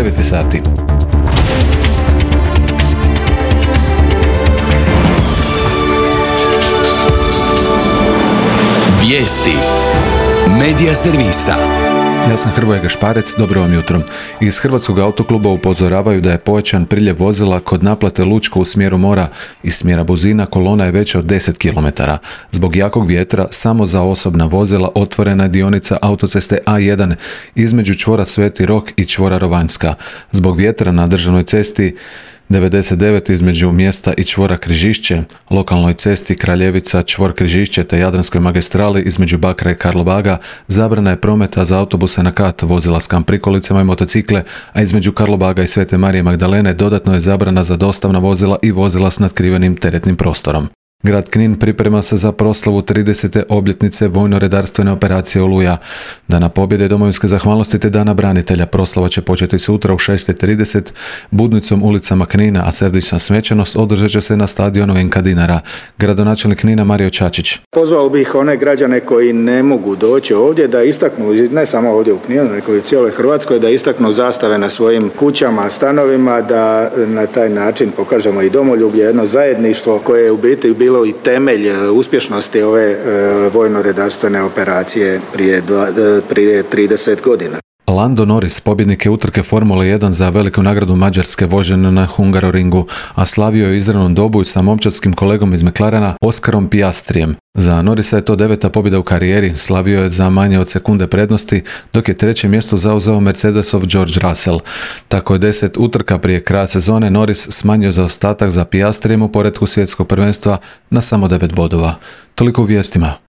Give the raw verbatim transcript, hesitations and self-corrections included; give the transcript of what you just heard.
devet sati. Vijesti Medija servisa. Ja sam Hrvoje Gašparec, dobro vam jutro. Iz Hrvatskog autokluba upozoravaju da je povećan priljev vozila kod naplate Lučko u smjeru mora. Iz smjera Buzina kolona je veća od deset kilometara. Zbog jakog vjetra samo za osobna vozila otvorena je dionica autoceste A jedan između čvora Sveti Rok i čvora Rovanjska. Zbog vjetra na državnoj cesti devedeset devet između mjesta i čvora Križišće, lokalnoj cesti Kraljevica, čvor Križišće te Jadranskoj magistrali između Bakra i Karlobaga zabrana je prometa za autobuse na kat, vozila s kamp prikolicama i motocikle, a između Karlobaga i Svete Marije Magdalene dodatno je zabrana za dostavna vozila i vozila s natkrivenim teretnim prostorom. Grad Knin priprema se za proslavu tridesete obljetnice vojno-redarstvene operacije Oluja. Dana pobjede i domovinske zahvalnosti te Dana branitelja proslava će početi sutra u šest i trideset budnicom ulicama Knina, a središnja svečanost održat će se na stadionu Enka Dinara. Gradonačelnik Knina Mario Čačić. Pozvao bih one građane koji ne mogu doći ovdje da istaknu, ne samo ovdje u Kninu, nego i u cijeloj Hrvatskoj, da istaknu zastave na svojim kućama, stanovima, da na taj način pokažemo i domoljublje, jedno zajedništvo koje je u biti bilo i temelj uspješnosti ove e, vojno-redarstvene operacije prije, dva, prije trideset godina. Lando Norris, pobjednik je utrke Formule jedan za veliku nagradu Mađarske vožen na Hungaroringu, a slavio je izravnom dobu sa momčadskim kolegom iz McLarena Oskarom Piastrijem. Za Norrisa je to deveta pobjeda u karijeri, slavio je za manje od sekunde prednosti, dok je treće mjesto zauzeo Mercedesov George Russell. Tako je deset utrka prije kraja sezone Norris smanjio zaostatak za Piastrijem u poretku svjetskog prvenstva na samo devet bodova. Toliko u vijestima.